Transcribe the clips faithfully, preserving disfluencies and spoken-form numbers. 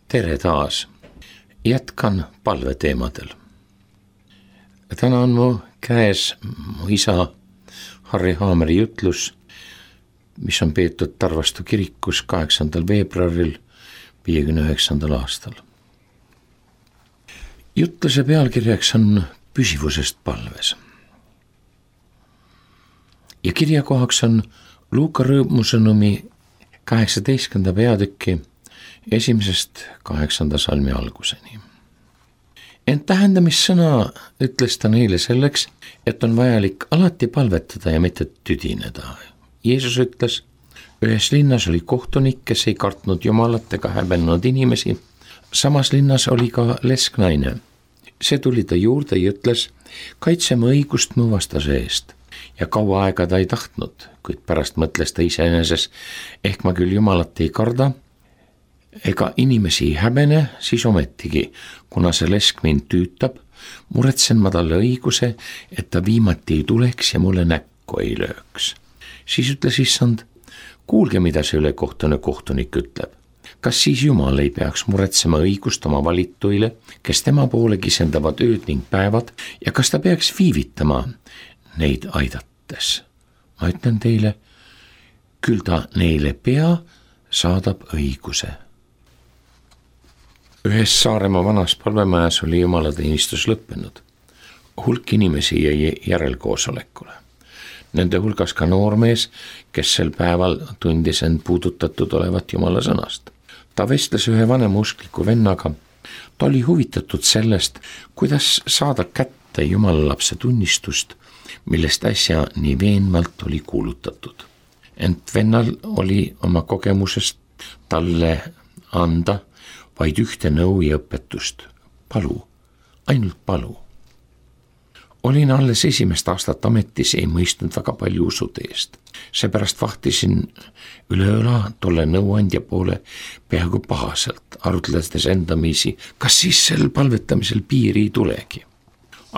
Tere taas. Jätkan palveteemadel. Täna on mu käes mu isa Harri Haameri jutlus, mis on peetud Tarvastu kirikus kaheksandal veebruaril viiekümne üheksandal aastal. Jutluse pealkirjaks on püsivusest palves. Ja kirjakohaks on Luuka rõõmusõnumi kaheksateistkümnenda peatüki esimesest kaheksanda salmi alguseni. Ent tähendamissõna ütles ta neile selleks, et on vajalik alati palvetada ja mitte tüdineda. Jeesus ütles, ühes linnas oli kohtunik, kes ei kartnud Jumalat ega häbenenud inimesi. Samas linnas oli ka lesknaine. See tuli ta juurde ja ütles, kaitseme õigust mu vastase eest. Ja kaua aega ta ei tahtnud, kuid pärast mõtles ta iseeneses, ehk ma küll Jumalat ei karda, ega inimesi ei häbene, siis ometigi, kuna see lesk mind tüütab, muretsen ma talle õiguse, et ta viimati ei tuleks ja mulle näkku ei lööks. Siis ütles issand, kuulge, mida see ülekohtune kohtunik ütleb. Kas siis Jumal ei peaks muretsema õigust oma valituile, kes tema poole kisendavad ööd ning päevad, ja kas ta peaks viivitama neid aidates? Ma ütlen teile, küll ta neile pea saadab õiguse. Ühes Saaremaa vanas palvemajas oli jumalateenistus lõppenud. Hulk inimesi jäi järelkoosolekule. Nende hulgas ka noormees, kes sel päeval tundis end puudutatud olevat Jumala sõnast. Ta vestles ühe vanema uskliku vennaga. Ta oli huvitatud sellest, kuidas saada kätte Jumala lapse tunnistust, millest äsja nii veenvalt oli kuulutatud. Ent vennal oli oma kogemusest talle anda vaid ühte nõu ja õpetust. Palu, ainult palu. Olin alles esimest aastat ametis, ei mõistnud väga palju usude eest. Seepärast vahtisin üle õla tolle nõuandja poole peaaegu pahaselt, arutledes endamisi, kas siis sel palvetamisel piiri ei tulegi.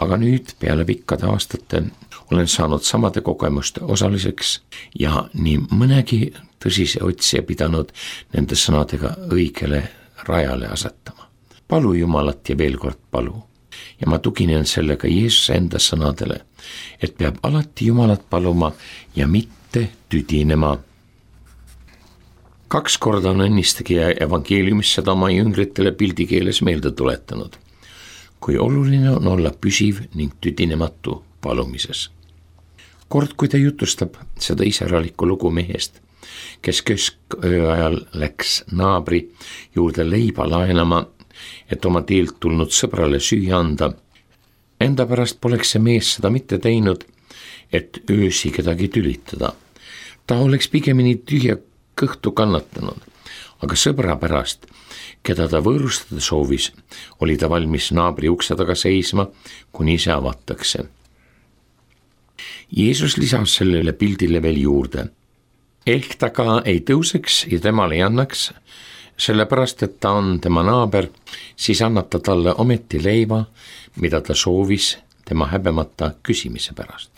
Aga nüüd peale pikkade aastate olen saanud samade kogemuste osaliseks ja nii mõnegi tõsise otsija pidanud nende sõnadega õigele rajale asetama. Palu Jumalat ja veel kord palu. Ja ma tuginen sellega Jeesuse enda sõnadele, et peab alati Jumalat paluma ja mitte tüdinema. Kaks korda on õnnistegija evangeeliumis seda oma jüngritele pildikeeles meelde tuletanud, kui oluline on olla püsiv ning tüdinematu palumises. Kord, kui ta jutustab seda iseäralikku lugu mehest, kes kesköö ajal läks naabri juurde leiba laenama, et oma teelt tulnud sõbrale süüa anda. Enda pärast poleks see mees seda mitte teinud, et öösi kedagi tülitada. Ta oleks pigemini tühja kõhtu kannatanud, aga sõbra pärast, keda ta võõrustada soovis, oli ta valmis naabri ukse taga seisma, kuni see avatakse. Jeesus lisas sellele pildile veel juurde. Ehk ta ka ei tõuseks ja temale ei annaks, sellepärast, et ta on tema naaber, siis annab ta talle ometi leiva, mida ta soovis tema häbemata küsimise pärast.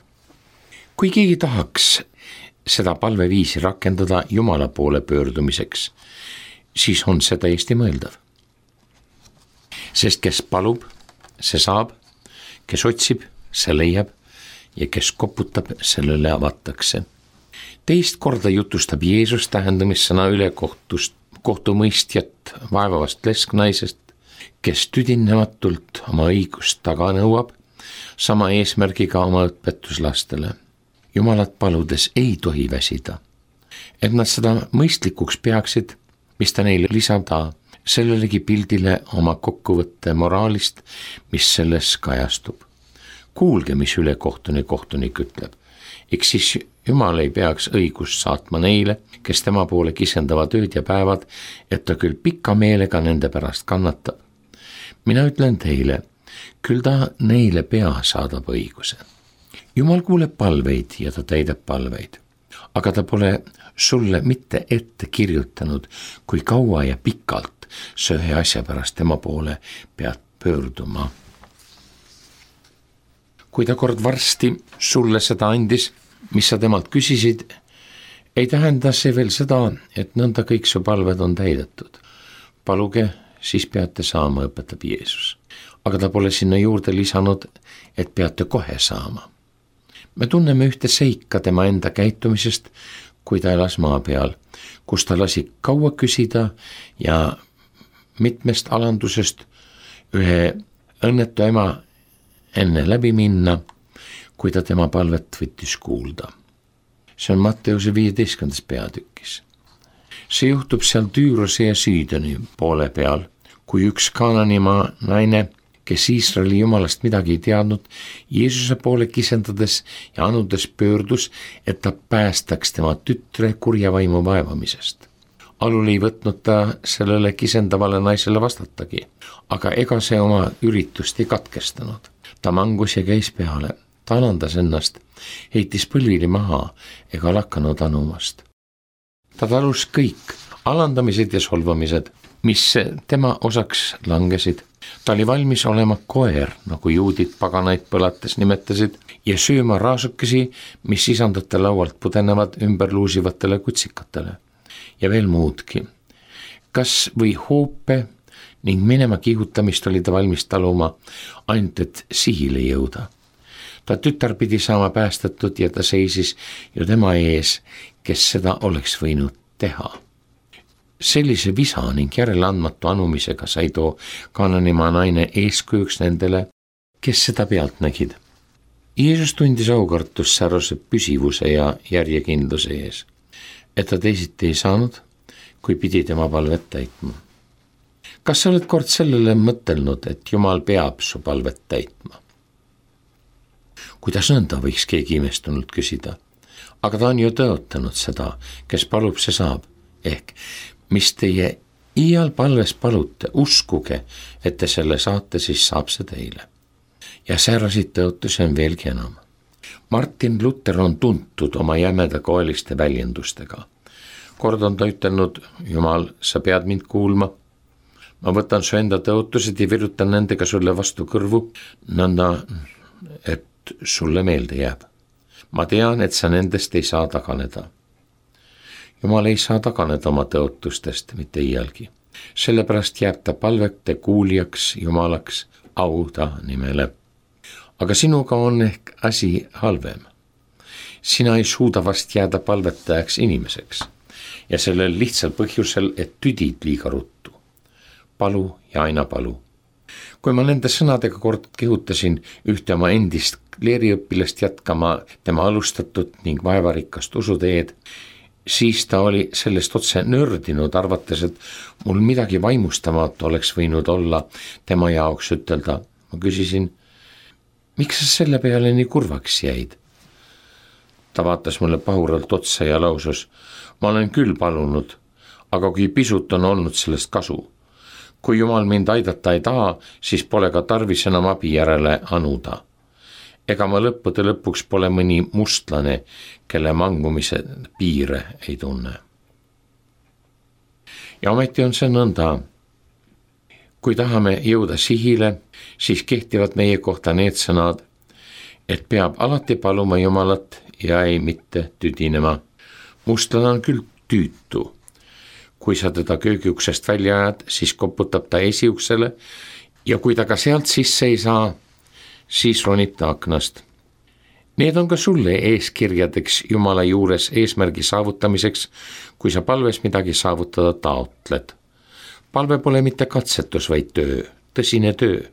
Kui keegi tahaks seda palveviisi rakendada Jumala poole pöördumiseks, siis on see täiesti mõeldav. Sest kes palub, see saab, kes otsib, see leiab ja kes koputab, sellele avatakse. Teist korda jutustab Jeesus tähendamissõna üle kohtust, kohtumõistjat vaevavast lesknaisest, kes tüdinematult oma õigust taga nõuab, sama eesmärgiga oma õpetuslastele. Jumalat paludes ei tohi väsida, et nad seda mõistlikuks peaksid, mis ta neile lisada, sellelegi pildile oma kokkuvõtte moraalist, mis selles kajastub. Kuulge, mis ülekohtune kohtunik ütleb. Eks siis Jumal ei peaks õigust saatma neile, kes tema poole kisendavad ööd ja päevad, et ta küll pika meelega nende pärast kannatab. Mina ütlen teile, küll ta neile pea saadab õiguse. Jumal kuuleb palveid ja ta täidab palveid, aga ta pole sulle mitte ette kirjutanud, kui kaua ja pikalt sa ühe asja pärast tema poole pead pöörduma. Kui ta kord varsti sulle seda andis, mis sa temalt küsisid, ei tähenda see veel seda, et nõnda kõik su palved on täidetud. Paluge siis peate saama, õpetab Jeesus. Aga ta pole sinna juurde lisanud, et peate kohe saama. Me tunneme ühte seika tema enda käitumisest, kui ta elas maa peal, kus ta lasi kaua küsida ja mitmest alandusest ühe õnnetu ema enne läbi minna, kui ta tema palvet võttis kuulda. See on Matteuse viieteistkümnendas peatükis. See juhtub seal Tüürose ja Siidoni poole peal, kui üks Kaananimaa naine, kes Iisraeli jumalast midagi ei teadnud, Jeesuse poole kisendades ja anudes pöördus, et ta päästaks tema tütre kurja vaimu vaevamisest. Alul ei võtnud ta sellele kisendavale naisele vastatagi, aga ega see oma üritust ei katkestanud. Ta mangus ja käis peale, ta alandas ennast, heitis põlvili maha ega lakanud anumast. Ta talus kõik alandamised ja solvamised, mis tema osaks langesid. Ta oli valmis olema koer, nagu juudid paganaid põlates nimetasid, ja sööma raasukesi, mis isandate laualt pudenevad ümber luusivatele kutsikatele. Ja veel muudki. Kas või hoope ning minema kihutamist oli ta valmis taluma, ainult et sihile jõuda. Ta tütar pidi saama päästetud ja ta seisis ju tema ees, kes seda oleks võinud teha. Sellise visa ning järeleandmatu anumisega sai too Kaananimaa naine eeskujuks nendele, kes seda pealt nägid. Jeesus tundis aukartust säärase püsivuse ja järjekindluse ees, et ta teisiti ei saanud, kui pidi tema palvet täitma. Kas sa oled kord sellele mõtelnud, et Jumal peab su palvet täitma? Kuidas nõnda, võiks keegi imestunult küsida. Aga ta on ju tõotanud seda, kes palub, see saab. Ehk, mis teie iial palves palute, uskuge, et te selle saate, siis saab see teile. Ja säärasid tõotusi on veelgi enam. Martin Luther on tuntud oma jämeda koeliste väljendustega. Kord on ta ütelnud, Jumal, sa pead mind kuulma. Ma võtan su enda tõotused ja virutan nendega sulle vastu kõrvu, nõnda, et sulle meelde jääb. Ma tean, et sa nendest ei saa taganeda. Jumal ei saa taganeda oma tõotustest mitte iialgi. Sellepärast jääb ta palvete kuulijaks Jumalaks au ta nimele. Aga sinuga on ehk asi halvem. Sina ei suuda vast jääda palvetajaks inimeseks ja sellel lihtsal põhjusel, et tüdid liiga ruttu. Palu ja aina palu. Kui ma nende sõnadega kord kehutasin ühte oma endist kleeriõpilast jätkama tema alustatud ning vaevarikast usuteed, siis ta oli sellest otse nördinud, arvates, et mul midagi vaimustamat oleks võinud olla tema jaoks ütelda. Ma küsisin, miks sa selle peale nii kurvaks jäid? Ta vaatas mulle pahuralt otsa ja lausus, ma olen küll palunud, aga kui pisut on olnud sellest kasu. Kui Jumal mind aidata ei taha, siis pole ka tarvis enam abi järele anuda. Ega ma lõppude lõpuks pole mõni mustlane, kelle mangumise piire ei tunne. Ja ometi on see nõnda. Kui tahame jõuda sihile, siis kehtivad meie kohta need sõnad, et peab alati paluma Jumalat ja ei mitte tüdinema. Mustlane on küll tüütu. Kui sa teda köögiuksest välja ajad, siis koputab ta esiuksele ja kui ta ka sealt sisse ei saa, siis ronib ta aknast. Need on ka sulle eeskirjadeks Jumala juures eesmärgi saavutamiseks, kui sa palves midagi saavutada taotled. Palve pole mitte katsetus, vaid töö, tõsine töö.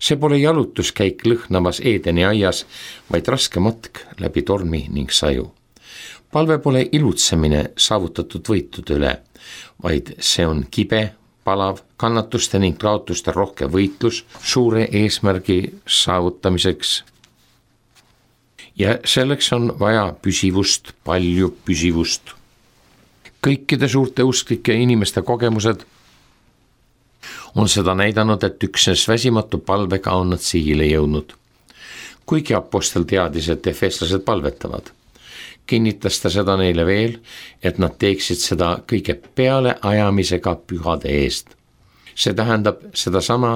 See pole jalutuskäik lõhnavas Eedeni aias, vaid raske matk läbi tormi ning saju. Palve pole ilutsemine saavutatud võitude üle, vaid see on kibe, palav, kannatuste ning kaotuste rohke võitlus suure eesmärgi saavutamiseks. Ja selleks on vaja püsivust, palju püsivust. Kõikide suurte usklike inimeste kogemused on seda näidanud, et üksnes väsimatu palvega on nad sihile jõudnud. Kuigi apostel teadis, et efeslased palvetavad, kinnitas ta seda neile veel, et nad teeksid seda kõige peale ajamisega pühade eest. See tähendab seda sama,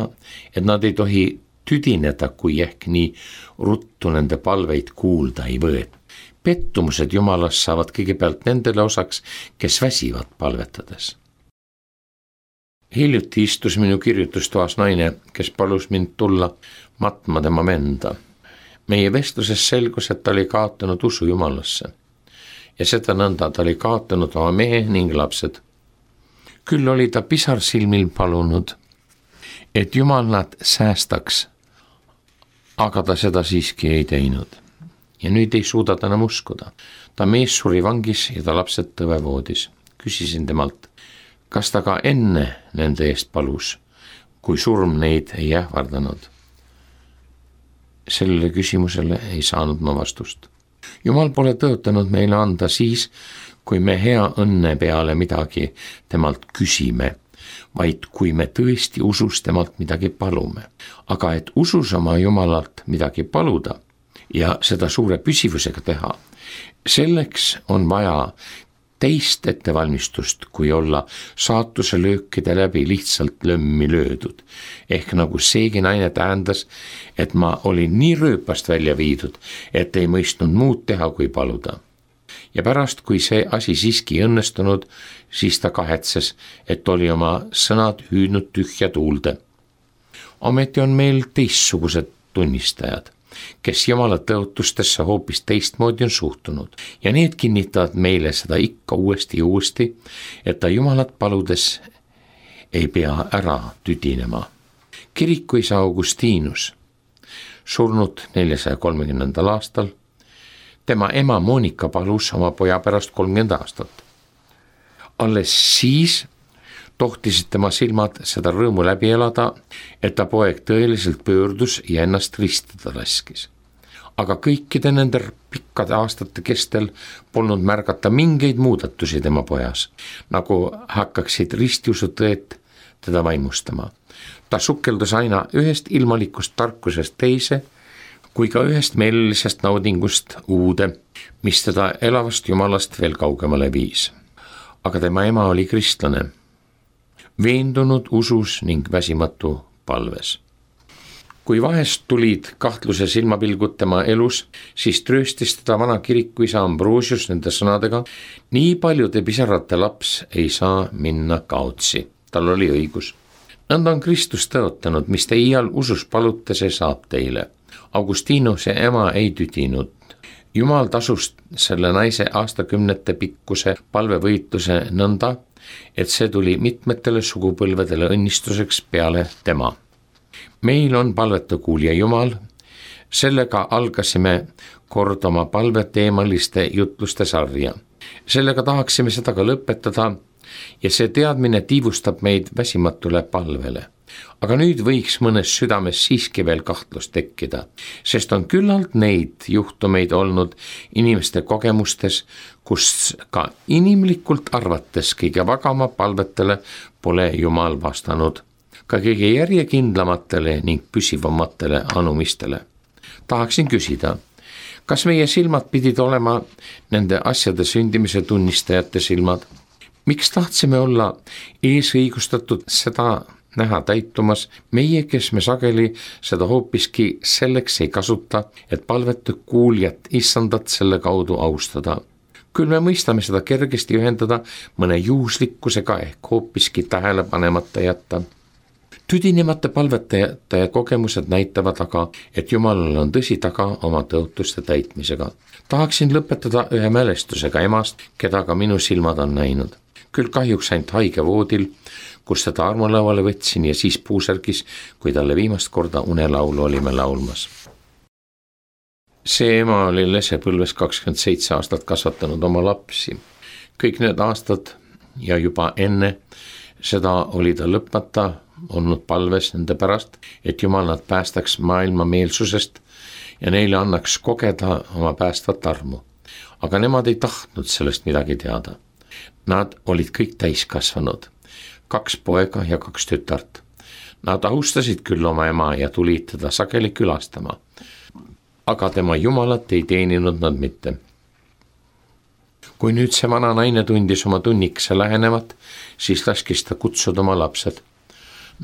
et nad ei tohi tüdineda, kui ehk nii ruttu nende palveid kuulda ei võet. Pettumused Jumalas saavad kõigepealt nendele osaks, kes väsivad palvetades. Hiljuti istus minu kirjutustoas naine, kes palus mind tulla matma tema venda. Meie vestluses selgus, et ta oli kaotanud usu Jumalasse ja seda nõnda ta oli kaotanud oma mehe ning lapsed. Küll oli ta pisarsilmil palunud, et Jumal nad säästaks, aga ta seda siiski ei teinud. Ja nüüd ei suuda ta enam uskuda. Ta mees suri vangis ja ta lapsed tõvevoodis. Küsisin temalt, kas ta ka enne nende eest palus, kui surm neid ei ähvardanud. Sellele küsimusele ei saanud ma vastust. Jumal pole tõotanud meile anda siis, kui me hea õnne peale midagi temalt küsime, vaid kui me tõesti usus temalt midagi palume. Aga et usus oma Jumalalt midagi paluda ja seda suure püsivusega teha, selleks on vaja teist ettevalmistust, kui olla saatuse löökide läbi lihtsalt lömmi löödud. Ehk nagu seegi naine tähendas, et ma olin nii rööpast välja viidud, et ei mõistnud muud teha, kui paluda. Ja pärast, kui see asi siiski õnnestunud, siis ta kahetses, et oli oma sõnad hüüdnud tühja tuulde. Ometi on meil teistsugused tunnistajad, kes Jumala tõotustesse hoopis teistmoodi on suhtunud ja need kinnitavad meile seda ikka uuesti ja uuesti, et ta Jumalat paludes ei pea ära tüdinema. Kirikuisa Augustinus, surnud neljasaja kolmekümnendal aastal, tema ema Monika palus oma poja pärast kolmkümmend aastat. Alles siis tohtisid tema silmad seda rõõmu läbi elada, et ta poeg tõeliselt pöördus ja ennast ristada laskis. Aga kõikide nende pikkade aastate kestel polnud märgata mingeid muudatusi tema pojas, nagu hakkaksid ristiusutõed teda vaimustama. Ta sukeldus aina ühest ilmalikust tarkusest teise, kui ka ühest meelelisest naudingust uude, mis teda elavast Jumalast veel kaugemale viis. Aga tema ema oli kristlane, veendunud usus ning väsimatu palves. Kui vahest tulid kahtluse silmapilgud tema elus, siis trööstis teda vana kirikuisa Ambrosius nende sõnadega, nii paljude pisarate laps ei saa minna kaotsi. Tal oli õigus. Nõnda on Kristus tõotanud, mis te iial usus palute, see saab teile. Augustinuse ema ei tüdinud. Jumal tasus selle naise aastakümnete pikkuse palvevõitluse nõnda, et see tuli mitmetele sugupõlvedele õnnistuseks peale tema. Meil on palveta kuulja Jumal, sellega algasime kord oma palveteemaliste jutluste sarja. Sellega tahaksime seda ka lõpetada ja see teadmine tiivustab meid väsimatule palvele. Aga nüüd võiks mõnes südames siiski veel kahtlus tekkida, sest on küllalt neid juhtumeid olnud inimeste kogemustes, kus ka inimlikult arvates kõige vagama palvetele pole Jumal vastanud, ka kõige järjekindlamatele ning püsivamatele anumistele. Tahaksin küsida, kas meie silmad pidid olema nende asjade sündimise tunnistajate silmad? Miks tahtsime olla eesõigustatud seda näha täitumas, meie, kes me sageli seda hoopiski selleks ei kasuta, et palvetu kuuljat issandat selle kaudu austada. Küll me mõistame seda kergesti ühendada mõne juhuslikkusega ehk hoopiski tähele panemata jätta. Tüdinemata palvetajate kogemused näitavad aga, et Jumalal on tõsi taga oma tõotuste täitmisega. Tahaksin lõpetada ühe mälestusega emast, keda ka minu silmad on näinud. Küll kahjuks ainult haige voodil, kus teda armulauale võtsin ja siis puusärgis, kui talle viimast korda unelaulu olime laulmas. See ema oli lesepõlves kakskümmend seitse aastat kasvatanud oma lapsi. Kõik need aastad ja juba enne seda oli ta lõpmata olnud palves nende pärast, et Jumal nad päästaks maailma meelsusest ja neile annaks kogeda oma päästvat armu. Aga nemad ei tahtnud sellest midagi teada. Nad olid kõik täiskasvanud. Kaks poega ja kaks tütart. Nad austasid küll oma ema ja tulid teda sageli külastama, aga tema Jumalat ei teeninud nad mitte. Kui nüüd see vana naine tundis oma tunnikese lähenevat, siis laskis ta kutsuda oma lapsed.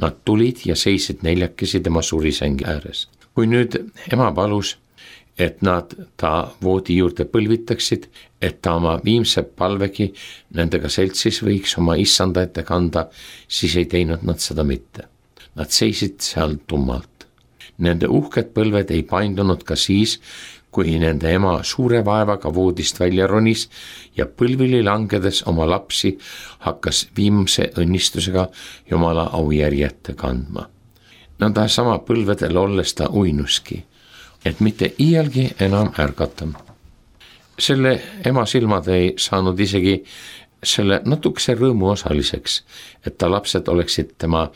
Nad tulid ja seisid neljakesi tema surisängi ääres. Kui nüüd ema palus, et nad ta voodi juurde põlvitaksid, et ta oma viimse palvegi nendega seltsis võiks oma issanda ette kanda, siis ei teinud nad seda mitte. Nad seisid seal tummalt. Nende uhked põlved ei paindunud ka siis, kui nende ema suure vaevaga voodist välja ronis ja põlvili langedes oma lapsi hakkas viimse õnnistusega Jumala aujärjete kandma. Nõnda sama põlvedel olles ta uinuski, et mitte iialgi enam ärgata. Selle ema silmad ei saanud isegi selle natukese rõõmu osaliseks, et ta lapsed oleksid tema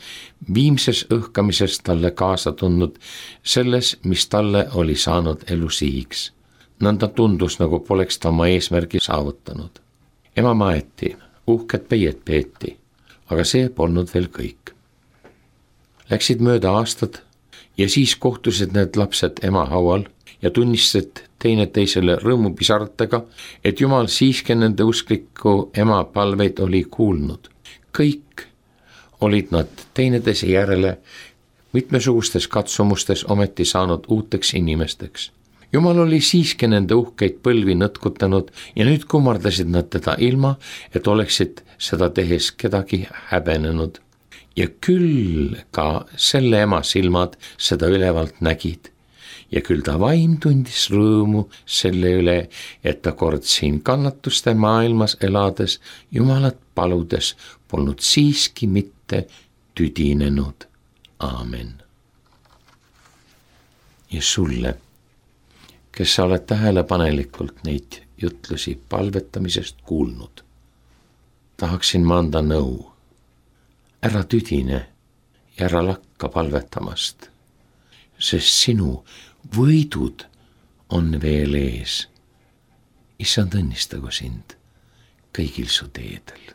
viimses õhkamises talle kaasa tundnud selles, mis talle oli saanud elu sihiks. Nõnda tundus, nagu poleks ta oma eesmärgi saavutanud. Ema maeti, uhked peied peeti, aga see polnud veel kõik. Läksid mööda aastad ja siis kohtusid need lapsed ema haual ja tunnistasid teine teisele rõõmupisaratega, et Jumal siiski nende uskliku ema palveid oli kuulnud. Kõik olid nad teineteise järele mitmesugustes katsumustes ometi saanud uuteks inimesteks. Jumal oli siiski nende uhkeid põlvi nõtkutanud ja nüüd kummardasid nad teda ilma, et oleksid seda tehes kedagi häbenenud. Ja küll ka selle ema silmad seda ülevalt nägid. Ja küll ta vaim tundis rõõmu selle üle, et ta kord siin kannatuste maailmas elades Jumalat paludes polnud siiski mitte tüdinenud. Aamen. Ja sulle, kes sa oled tähelepanelikult neid jutlusi palvetamisest kuulnud, tahaksin ma anda nõu. Ära tüdine ja ära lakka palvetamast, sest sinu võidud on veel ees. Issand õnnistagu sind kõigil su teedel.